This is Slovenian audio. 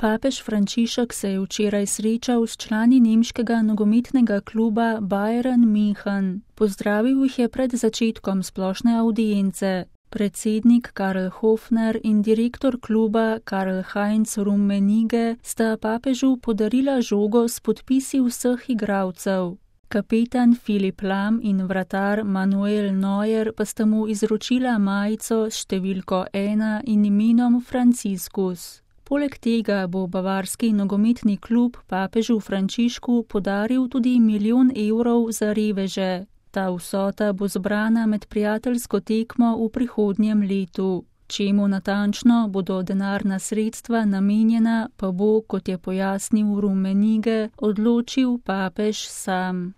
Papež Frančišek se je včeraj srečal s člani nemškega nogometnega kluba Bayern München. Pozdravil jih je pred začetkom splošne avdience. Predsednik Karl Hofner in direktor kluba Karl-Heinz Rummenigge sta papežu podarila žogo s podpisi vseh igralcev. Kapetan Philipp Lahm in vratar Manuel Neuer pa sta mu izročila majico s številko 1 in imenom Franciscus. Poleg tega bo bavarski nogometni klub papežu Frančišku podaril tudi 1 milijon evrov za reveže. Ta vsota bo zbrana med prijateljsko tekmo v prihodnjem letu. Čemu natančno bodo denarna sredstva namenjena, pa bo, kot je pojasnil Rummenigge, odločil papež sam.